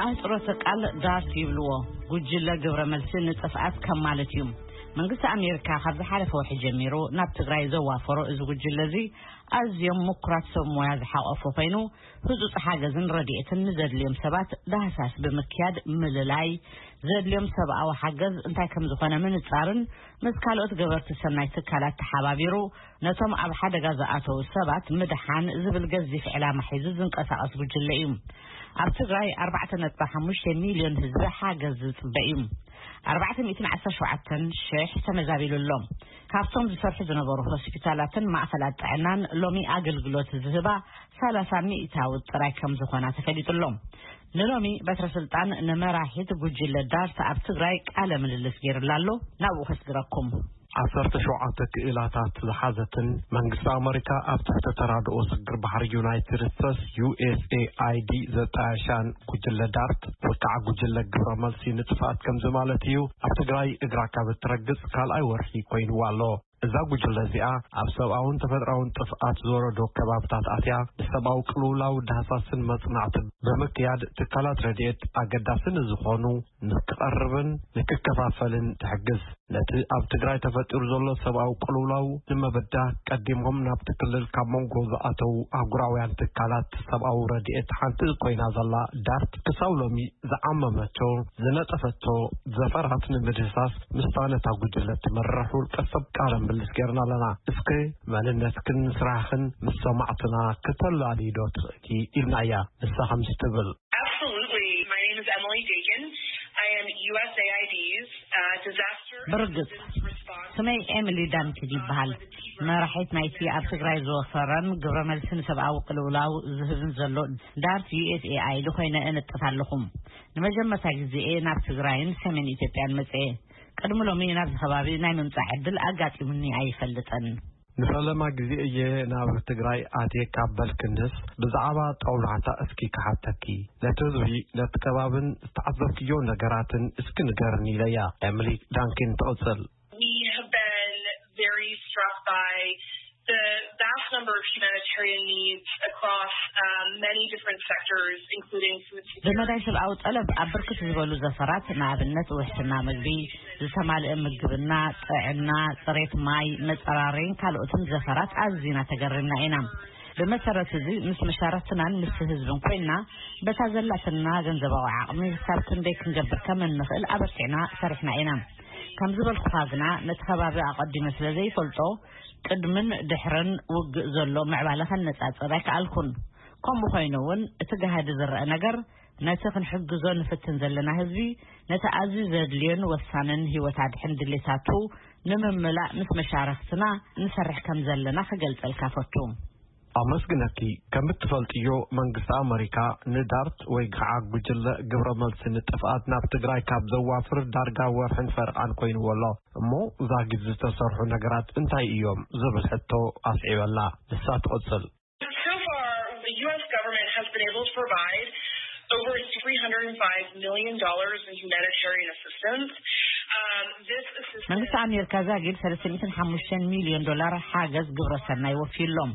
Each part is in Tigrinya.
ምህጽሮተ ቃል ዳርት ይብልዎ። ጉጅለ ግብረ መልሲ ንጥፍኣት ከም ማለት እዩ። መንግስቲ ኣሜሪካ ካብ ዝሓለፈ ወርሒ ጀሚሩ ናብ ትግራይ ዘዋፈሮ እዚ ጉጅለ እዚ ኣዝዮም ምኩራት ሰብ ሞያ ዝሓቆፈ ኮይኑ፣ ህጹጽ ሓገዝን ረድኤትን ንዘድልዮም ሰባት ዳህሳስ ብምክያድ ምልላይ፣ ዘድልዮም ሰብኣዊ ሓገዝ እንታይ ከም ዝኾነ ምንጻርን ምስ ካልኦት ገበርቲ ሰናይ ትካላት ተሓባቢሩ ነቶም ኣብ ሓደጋ ዝኣተዉ ሰባት ምድሓን ዝብል ገዚፍ ዕላማ ሒዙ ዝንቀሳቐስ ጉጅለ እዩ። ኣብ ትግራይ ኣርባዕተ ነጥቢ ሓሙሽተ ሚልዮን ህዝቢ ሓገዝ ዝጽበ እዩ። ኣርባዕተ ሚእትን ዓሰርተ ሸውዓተን ሽሕ ተመዛቢሉ ኣሎ። ካብቶም ዝሰርሑ ዝነበሩ ሆስፒታላትን ማእኸላት ጥዕናን ሎሚ ኣገልግሎት ዝህባ ሰላሳ ሚእታዊ ጥራይ ከም ዝኾና ተፈሊጡ ኣሎ። ንሎሚ በትረ ስልጣን ንመራሒት ጉጅለ ዳርት ኣብ ትግራይ ቃለ ምልልስ ገይሩላ ኣሎ። ናብኡ ከስግረኩም። ዓሰርተ ሸውዓተ ክኢላታት ዝሓዘትን መንግስቲ ኣመሪካ ኣብ ትሕቲ ተራድኦ ስግር ባሕሪ ዩናይትድ ስቴትስ፣ ዩ ኤስ ኤ ኣይ ዲ፣ ዘጣየሻን ጉጅለ ዳርት፣ ወይ ከዓ ጉጅለ ግብረ መልሲ ንጥፍኣት ከምዚ ማለት እዩ፣ ኣብ ትግራይ እግራ ካብ እትረግጽ ካልኣይ ወርሒ ኮይንዋ ኣሎ። እዛ ጉጅለ እዚኣ ኣብ ሰብኣውን ተፈጥራውን ጥፍኣት ዝወረዶ ከባብታት ኣትያ፣ ንሰብኣዊ ቅልውላው ዳህሳስን መጽናዕትን ብምክያድ ትካላት ረድኤት ኣገዳሲ ንዝኾኑ ንክቐርብን ንክከፋፈልን ትሕግዝ። ነቲ ኣብ ትግራይ ተፈጢሩ ዘሎ ሰብኣዊ ቅልውላው ንምብዳህ ቀዲሞም ናብቲ ክልል ካብ መንጎ ዝኣተዉ ኣህጉራውያን ትካላት ሰብኣዊ ረድኤት ሓንቲ ኮይና ዘላ ዳርት ክሳብ ሎሚ ዝዓመመቶ፣ ዝነጠፈቶ ዘፈራት ንምድህሳስ ምስታ ነታ ጉጅለ ትመርሕ ውልቀ ሰብ ቃለ ምልልስ ጌርና ኣለና። እስከ መንነትክን ስራሕክን ምስ ሰማዕትና ክተላልይዶ ትኽእሊ ኢልናያ። ንሳ ከምዚ ትብል። Absolutely. My name is Emily Dakin. I am U S A I D's, uh, disaster ብርግጽ። ስመይ ኤሚሊ ዳንኪድ ይበሃል። መራሒት ናይቲ ኣብ ትግራይ ዝወፈረን ግብረ መልሲ ንሰብኣዊ ቅልውላው ዝህብን ዘሎ ዳርት ዩ ኤስ ኤ ኣይ ዲ ኮይነ እነጥፍ ኣለኹም። ንመጀመርታ ግዜ እየ ናብ ትግራይን ሰሜን ኢትዮጵያን መጽኤ። ቅድሚ ሎሚ ናብዚ ከባቢ ናይ ምምጻእ ዕድል ኣጋጢሙኒ ኣይፈልጥን። ንፈለማ ግዜ እየ ናብ ትግራይ ኣትየ ካብ በልክንስ፣ ብዛዕባ ጦብላሕታ እስኪ ክሓተኪ። ነቲ ህዝቢ፣ ነቲ ከባብን ዝተዓዘብክዮ ነገራትን እስኪ ንገርኒ ኢለያ። ኤሚሊ ዳንኪን ትቕጽል። We have been very struck by the vast number of humanitarian needs across, um, many different sectors, including food security. ብመዳይ ሰብኣዊ ጠለብ ኣብ ብርክት ዝበሉ ዘፈራት፣ ንኣብነት ውሕስና ምግቢ፣ ዝተማልአ ምግብና፣ ጥዕና፣ ጽሬት ማይ፣ መጸራረይን ካልኦትን ዘፈራት ኣዝና ተገሪምና ኢና። ብመሰረት እዚ ምስ መሻርኽትናን ምስ ህዝብን ኮይና በታ ዘላትና ገንዘባዊ ዓቕሚ ክሳብ ክንደይ ክንገብር ከም እንኽእል ኣበርቲዕና ሰሪሕና ኢና። ከም ዝበልኩኻ ግና ነቲ ከባቢ ኣቐዲመ ስለ ዘይፈልጦ ቅድምን ድሕርን ውግእ ዘሎ ምዕባለ ከነጻጽር ኣይከኣልኩን። ከምኡ ኮይኑ እውን እቲ ጋህዲ ዝረአ ነገር ነቲ ክንሕግዞ ንፍትን ዘለና ህዝቢ ነቲ ኣዝዩ ዘድልዮን ወሳንን ህይወት ኣድሕን ድሌታቱ ንምምላእ ምስ መሻርኽትና ንሰርሕ ከም ዘለና ክገልጸልካ ፈቱ። ኣመስግነኪ። ከም እትፈልጥዮ መንግስቲ ኣመሪካ ንዳርት ወይ ከዓ ጉጅለ ግብረ መልሲ ንጥፍኣት ናብ ትግራይ ካብ ዘዋፍር ዳርጋ ወርሕን ፈርቓን ኮይንዎ ኣሎ። እሞ ዛጊድ ዝተሰርሑ ነገራት እንታይ እዮም ዝብል ሕቶ ኣስዒበላ። ንሳ ትቕጽል። So far, the U S government has been able to provide over three hundred and five million dollars in humanitarian assistance. Um, this assistance መንግስቲ ኣሜሪካ ዛጊድ ሰለስተ ሚእትን ሓሙሽተን ሚልዮን ዶላር ሓገዝ ግብረ ሰናይ ወፊዩሎም።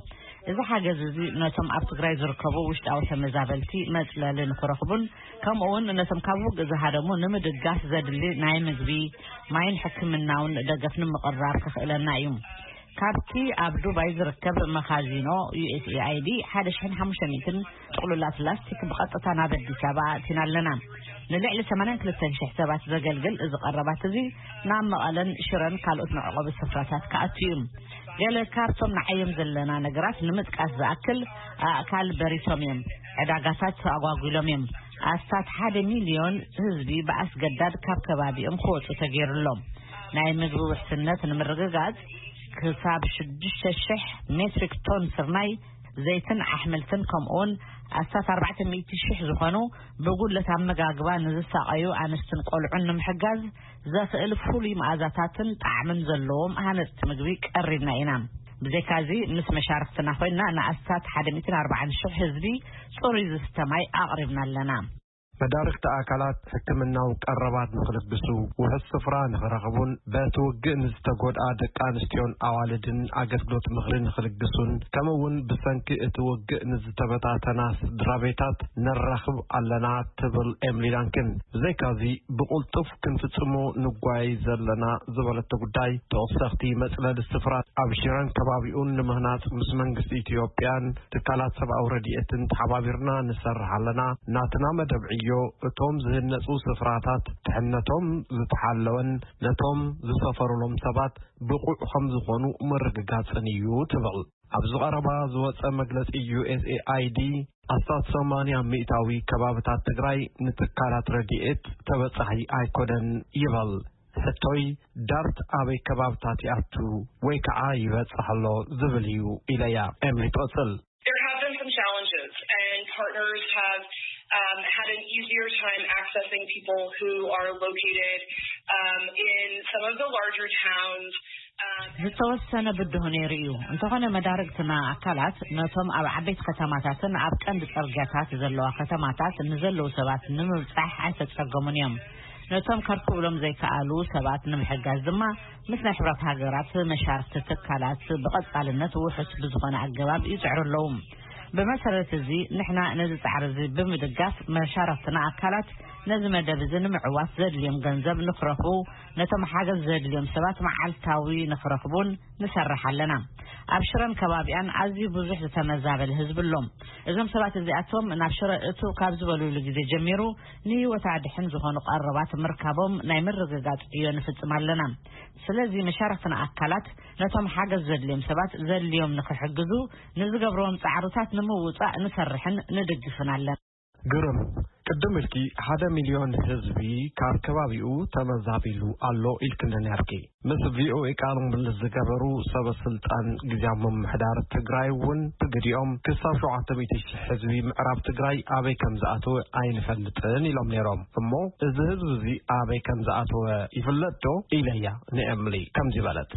እዚ ሓገዝ እዚ ነቶም ኣብ ትግራይ ዝርከቡ ውሽጣዊ ተመዛበልቲ መጽለሊ ንክረኽቡን ከምኡ እውን ነቶም ካብ ውግእ ዝሃደሙ ንምድጋፍ ዘድሊ ናይ ምግቢ፣ ማይን ሕክምናውን ደገፍ ንምቕራብ ከኽእለና እዩ። ካብቲ ኣብ ዱባይ ዝርከብ መኻዚኖ ዩ ኤስ ኤ ኣይ ዲ ሓደ ሽሕን ሓሙሽተ ሚእትን ጥቕሉላት ላስቲክ ብቐጥታ ናብ ኣዲስ ኣበባ ኣእቲና ኣለና። ንልዕሊ ሰማንያን ክልተን ሽሕ ሰባት ዘገልግል እዚ ቀረባት እዚ ናብ መቐለን ሽረን ካልኦት መዕቆቢ ስፍራታት ክኣቱ እዩ። ገለ ካብቶም ንዓዮም ዘለና ነገራት ንምጥቃስ ዝኣክል፣ ኣእካል በሪሶም እዮም። ዕዳጋታት ኣጓጒሎም እዮም። ኣስታት ሓደ ሚልዮን ህዝቢ ብኣስገዳድ ካብ ከባቢኦም ክወጹ ተገይሩሎም። ናይ ምግቢ ውሕስነት ንምርግጋጽ ክሳብ ሽዱሽተ ሽሕ ሜትሪክ ቶን ስርናይ፣ ዘይትን ኣሕምልትን ከምኡውን ኣስታት ኣርባዕተ ሚእቲ ሽሕ ዝኾኑ ብጉድለት ኣመጋግባ ንዝሳቐዩ ኣንስትን ቆልዑን ንምሕጋዝ ዘኽእል ፍሉይ መኣዛታትን ጣዕምን ዘለዎም ሃነፅቲ ምግቢ ቀሪብና ኢና። ብዘይካዚ ምስ መሻርክትና ኮይና ንኣስታት ሓደ ሚእትን ኣርባዓን ሽሕ ህዝቢ ፅሩይ ዝስተ ማይ ኣቕሪብና ኣለና። መዳርግቲ ኣካላት ሕክምናዊ ቀረባት ንኽልግሱ፣ ውሑስ ስፍራ ንኽረኽቡን በቲ ውግእ ንዝተጎድኣ ደቂ ኣንስትዮን ኣዋልድን ኣገልግሎት ምኽሪ ንኽልግሱን፣ ከምኡ እውን ብሰንኪ እቲ ውግእ ንዝተበታተና ስድራ ቤታት ነራኽብ ኣለና ትብል ኤምሊ ዳንክን። ብዘይካዚ ብቕልጡፍ ክንፍጽሞ ንጓይ ዘለና ዝበለቶ ጉዳይ፣ ተወሰኽቲ መጽለሊ ስፍራ ኣብ ሽረን ከባቢኡን ንምህናጽ ምስ መንግስቲ ኢትዮጵያን ትካላት ሰብኣዊ ረድኤትን ተሓባቢርና ንሰርሕ ኣለና። ናትና መደብ ዕዮ እቶም ዝህነጹ ስፍራታት ድሕነቶም ዝተሓለወን ነቶም ዝሰፈሩሎም ሰባት ብቑዕ ከም ዝኾኑ ምርግጋጽን እዩ ትብል። ኣብዚ ቀረባ ዝወጸ መግለጺ፣ ዩ ኤስ ኤ ኣይ ዲ ኣስታት ሰማንያ ሚእታዊ ከባብታት ትግራይ ንትካላት ረድኤት ተበጻሒ ኣይኮነን ይበል። ሕቶይ፣ ዳርት ኣበይ ከባብታት ይኣቱ ወይ ከዓ ይበጽሕ ኣሎ ዝብል እዩ ኢለያ። ኤምሊ ትቕጽል። There have been some challenges, and partners have um, had an easier time accessing people who are located um, in some of the larger towns. Um, ዝተወሰነ ብድሆ ነይሩ እዩ። እንተኾነ መዳርግትና ኣካላት ነቶም ኣብ ዓበይቲ ከተማታትን ኣብ ቀንዲ ጽርግያታት ዘለዋ ከተማታት ንዘለዉ ሰባት ንምብጻሕ ኣይተጸገሙን እዮም። ነቶም ከርክብሎም ዘይከኣሉ ሰባት ንምሕጋዝ ድማ ምስ ናይ ሕብረት ሃገራት መሻርክቲ ትካላት ብቐጻልነት ውሑስ ብዝኾነ ኣገባብ ይጽዕሩ ኣለዉ። ብመሰረት እዚ ንሕና ነዚ ጻዕሪ እዚ ብምድጋፍ መሻርክትና ኣካላት ነዚ መደብ እዚ ንምዕዋት ዘድልዮም ገንዘብ ንክረኽቡ፣ ነቶም ሓገዝ ዘድልዮም ሰባት መዓልታዊ ንክረኽቡን ንሰርሕ ኣለና። ኣብ ሽረን ከባቢኣን ኣዝዩ ብዙሕ ዝተመዛበለ ህዝቢ ኣሎ። እዞም ሰባት እዚኣቶም ናብ ሽረ እቱ ካብ ዝበሉሉ ግዜ ጀሚሩ ንህይወት ኣድሕን ዝኾኑ ቀረባት ምርካቦም ናይ ምርግጋጽ ዕዮ ንፍጽም ኣለና። ስለዚ መሻርክትና ኣካላት ነቶም ሓገዝ ዘድልዮም ሰባት ዘድልዮም ንክሕግዙ ንዝገብርዎም ጻዕርታት ንምውጻእ ንሰርሕን ንድግፍን ኣለና። ግርም፣ ቅድም ኢልኪ ሓደ ሚልዮን ህዝቢ ካብ ከባቢኡ ተመዛቢሉ ኣሎ ኢልክኒ ነርኪ። ምስ ቪ ኦ ኤ ቃለ ምልልስ ዝገበሩ ሰበ ስልጣን ግዝያዊ ምምሕዳር ትግራይ እውን ብግዲኦም ክሳብ ሸውዓተ ሚእቲ ሺሕ ህዝቢ ምዕራብ ትግራይ ኣበይ ከም ዝኣተወ ኣይንፈልጥን ኢሎም ነይሮም። እሞ እዚ ህዝቢ እዚ ኣበይ ከም ዝኣተወ ይፍለጥ ዶ ኢለያ ንኤምሊ ከምዚ በለት።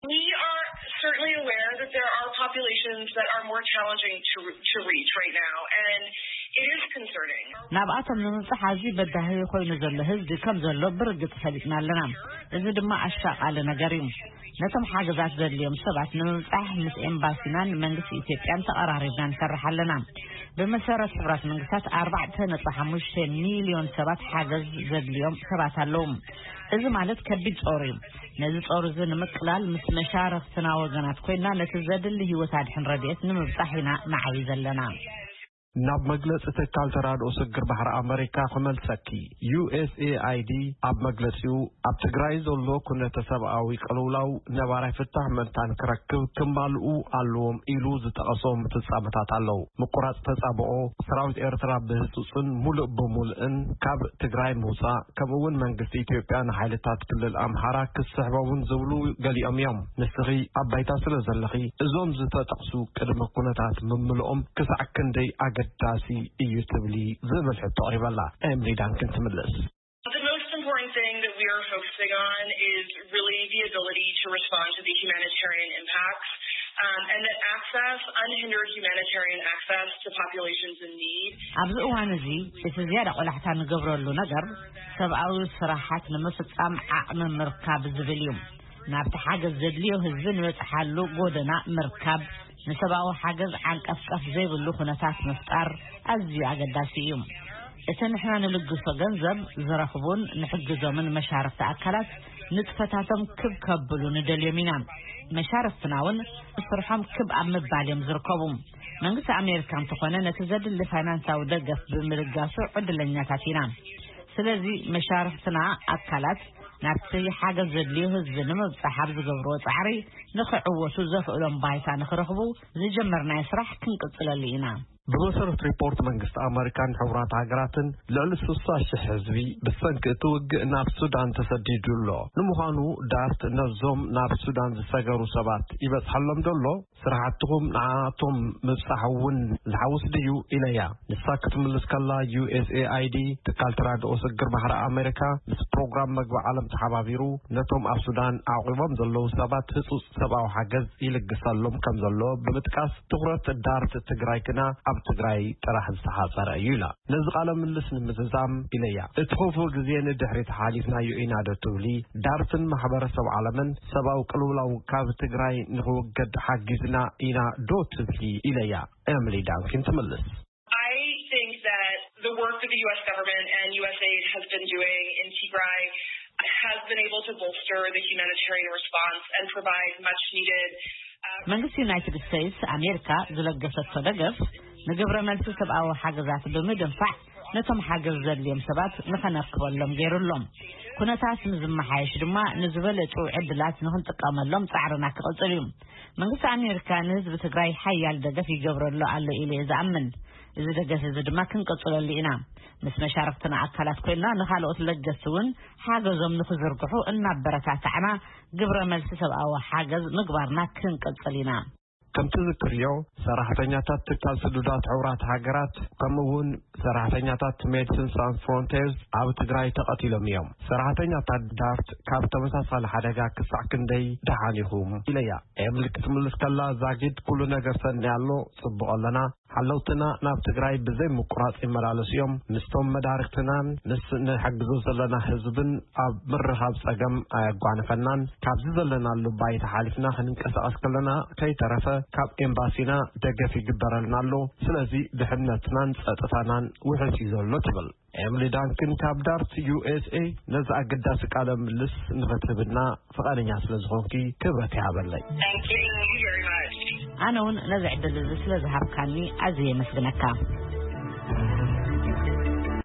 We are certainly aware that there are populations that are more challenging to, to reach right now, and it is concerning. ናብኣቶም ንምብጻሕ ኣዝዩ በዳሂ ኮይኑ ዘሎ ህዝቢ ከም ዘሎ ብርግጽ ፈሊጥና ኣለና። እዚ ድማ ኣሻቓሊ ነገር እዩ። ነቶም ሓገዛት ዘድልዮም ሰባት ንምብጻሕ ምስ ኤምባሲናን መንግስቲ ኢትዮጵያን ተቐራሪብና ንሰርሕ ኣለና። ብመሰረት ሕብራት መንግስታት ኣርባዕተ ነጥቢ ሓሙሽተ ሚልዮን ሰባት ሓገዝ ዘድልዮም ሰባት ኣለዉ። እዚ ማለት ከቢድ ጾር እዩ። ነዚ ጾር እዚ ንምቅላል ምስ መሻርኽትና ወገናት ኮይና ነቲ ዘድሊ ህይወት ኣድሕን ረድኤት ንምብጻሕ ኢና ንዓይ ዘለና። ናብ መግለጺ ትካል ተራድኦ ስግር ባሕሪ ኣመሪካ ክመልሰኪ። ዩ ኤስ ኤ ኣይ ዲ ኣብ መግለጺኡ ኣብ ትግራይ ዘሎ ኩነተ ሰብኣዊ ቅልውላው ነባራይ ፍታሕ ምእንታን ክረክብ ክማልኡ ኣለዎም ኢሉ ዝጠቐሶም ፍጻመታት ኣለዉ። ምቁራጽ ተጻብኦ፣ ሰራዊት ኤርትራ ብህጹጽን ሙሉእ ብሙሉእን ካብ ትግራይ ምውጻእ፣ ከምኡ እውን መንግስቲ ኢትዮጵያ ንሓይልታት ክልል ኣምሓራ ክስሕቦምን ዝብሉ ገሊኦም እዮም። ንስኺ ኣብ ባይታ ስለ ዘለኺ እዞም ዝተጠቕሱ ቅድመ ኩነታት ምምልኦም ክሳዕ ክንደይ ኣገዳሲ እዩ ትብሊ ዝብል ሕቶ ኣቕሪበላ። ኤምሊ ዳንክን ትምልስ። The most important thing that we are focusing on is really the ability to respond to the humanitarian impacts um, and that access, unhindered humanitarian access to populations in need. ኣብዚ እዋን እዚ እቲ ዝያዳ ቆላሕታ ንገብረሉ ነገር ሰብኣዊ ስራሓት ንምፍጻም ዓቕሚ ምርካብ ዝብል እዩ። ናብቲ ሓገዝ ዘድልዮ ህዝቢ ንበጽሓሉ ጎደና ምርካብ፣ ንሰብኣዊ ሓገዝ ዓንቀፍቀፍ ዘይብሉ ኩነታት ምፍጣር ኣዝዩ ኣገዳሲ እዩ። እቲ ንሕና ንልግሶ ገንዘብ ዝረኽቡን ንሕግዞምን መሻርኽቲ ኣካላት ንጥፈታቶም ክብ ከብሉ ንደልዮም ኢና። መሻርኽትና እውን ስርሖም ክብ ኣብ ምባል እዮም ዝርከቡ። መንግስቲ ኣሜሪካ እንተኾነ ነቲ ዘድሊ ፋይናንሳዊ ደገፍ ብምልጋሱ ዕድለኛታት ኢና። ስለዚ መሻርኽትና ኣካላት ናብቲ ሓገዝ ዘድልዮ ህዝቢ ንምብጻሕ ኣብ ዝገብርዎ ጻዕሪ ንኽዕወቱ ዘኽእሎም ባይታ ንኽረኽቡ ዝጀመርናዮ ስራሕ ክንቅጽለሉ ኢና። ብመሰረት ሪፖርት መንግስቲ ኣመሪካን ሕቡራት ሃገራትን ልዕሊ ስሳ ሽሕ ህዝቢ ብሰንኪ እቲ ውግእ ናብ ሱዳን ተሰዲዱ ኣሎ። ንምዃኑ ዳርት ነዞም ናብ ሱዳን ዝሰገሩ ሰባት ይበጽሓሎም ዶ ኣሎ? ስራሕትኹም ንዓኣቶም ምብጻሕ እውን ዝሓውስ ድዩ? ኢለያ። ንሳ ክትምልስ ከላ፣ ዩ ኤስ ኤ ኣይ ዲ፣ ትካል ተራድኦ ስግር ባሕሪ ኣሜሪካ፣ ምስ ፕሮግራም መግቢ ዓለም ተሓባቢሩ ነቶም ኣብ ሱዳን ኣዕቑቦም ዘለዉ ሰባት ህጹጽ ሰብኣዊ ሓገዝ ይልግሰሎም ከም ዘሎ ብምጥቃስ፣ ትኹረት ዳርት ትግራይ ግና ኣብ ትግራይ ጥራሕ ዝተሓፀረ እዩ ኢላ። ነዚ ቃለ ምልልስ ንምዝዛም ኢለያ፣ እቲ ክፉእ ግዜ ንድሕሪት ሓሊፍናዮ ኢና ዶ ትብሊ? ዳርትን ማሕበረሰብ ዓለምን ሰብኣዊ ቅልውላው ካብ ትግራይ ንክውገድ ሓጊዝና ኢና ዶ ትብሊ? ኢለያ ኤምሊ ዳንኪን ትምልስ። I think that the work that the U S government and U S aid has been doing in Tigray has been able to bolster the humanitarian response and provide much needed. መንግስቲ ዩናይትድ ስቴትስ ኣሜሪካ ዝለገሰቶ ደገፍ ንግብረ መልሲ ሰብኣዊ ሓገዛት ብምድንፋዕ ነቶም ሓገዝ ዘድልዮም ሰባት ንኸነርክበሎም ገይሩሎም። ኩነታት ንዝመሓየሽ ድማ ንዝበለጹ ዕድላት ንኽንጥቀመሎም ጻዕርና ክቕጽል እዩ። መንግስቲ ኣሜሪካ ንህዝቢ ትግራይ ሓያል ደገፍ ይገብረሉ ኣሎ ኢለ እየ ዝኣምን። እዚ ደገፍ እዚ ድማ ክንቅጽለሉ ኢና። ምስ መሻርክትና ኣካላት ኮይና ንኻልኦት ለገስቲ እውን ሓገዞም ንኽዝርግሑ እናበረታታዕና ግብረ መልሲ ሰብኣዊ ሓገዝ ምግባርና ክንቅጽል ኢና። ከምቲ ዝክርዮ ሰራሕተኛታት ትካል ስዱዳት ሕቡራት ሃገራት ከምኡ እውን ሰራሕተኛታት ሜድስን ሳንስ ፍሮንቴርስ ኣብ ትግራይ ተቐቲሎም እዮም። ሰራሕተኛታት ዳርት ካብ ተመሳሳሊ ሓደጋ ክሳዕ ክንደይ ደሓን ኢኹም ኢለያ። ኤምሊ ክትምልስ ከላ ዛጊድ ኩሉ ነገር ሰኒ ኣሎ፣ ጽቡቕ ኣለና። ሓለውትና ናብ ትግራይ ብዘይ ምቁራጽ ይመላለሱ እዮም። ምስቶም መዳርክትናን ምስ ንሕግዞ ዘለና ህዝብን ኣብ ምርኻብ ጸገም ኣየጓንፈናን። ካብዚ ዘለናሉ ባይታ ሓሊፍና ክንንቀሳቐስ ከለና ከይተረፈ ካብ ኤምባሲና ደገፍ ይግበረልና ኣሎ። ስለዚ ድሕነትናን ጸጥታናን ውሕስ እዩ ዘሎ ትብል። ኤምሊ ዳንክን ካብ ዳርት ዩ ኤስ ኤ ነዚ ኣገዳሲ ቃለ ምልስ ንኽትህብና ፍቓደኛ ስለ ዝኾንኪ ክብረት ይሃበለይ። Thank you very much. ኣነ እውን ነዚ ዕድል እዚ ስለ ዝሃብካኒ ኣዝየ የመስግነካ።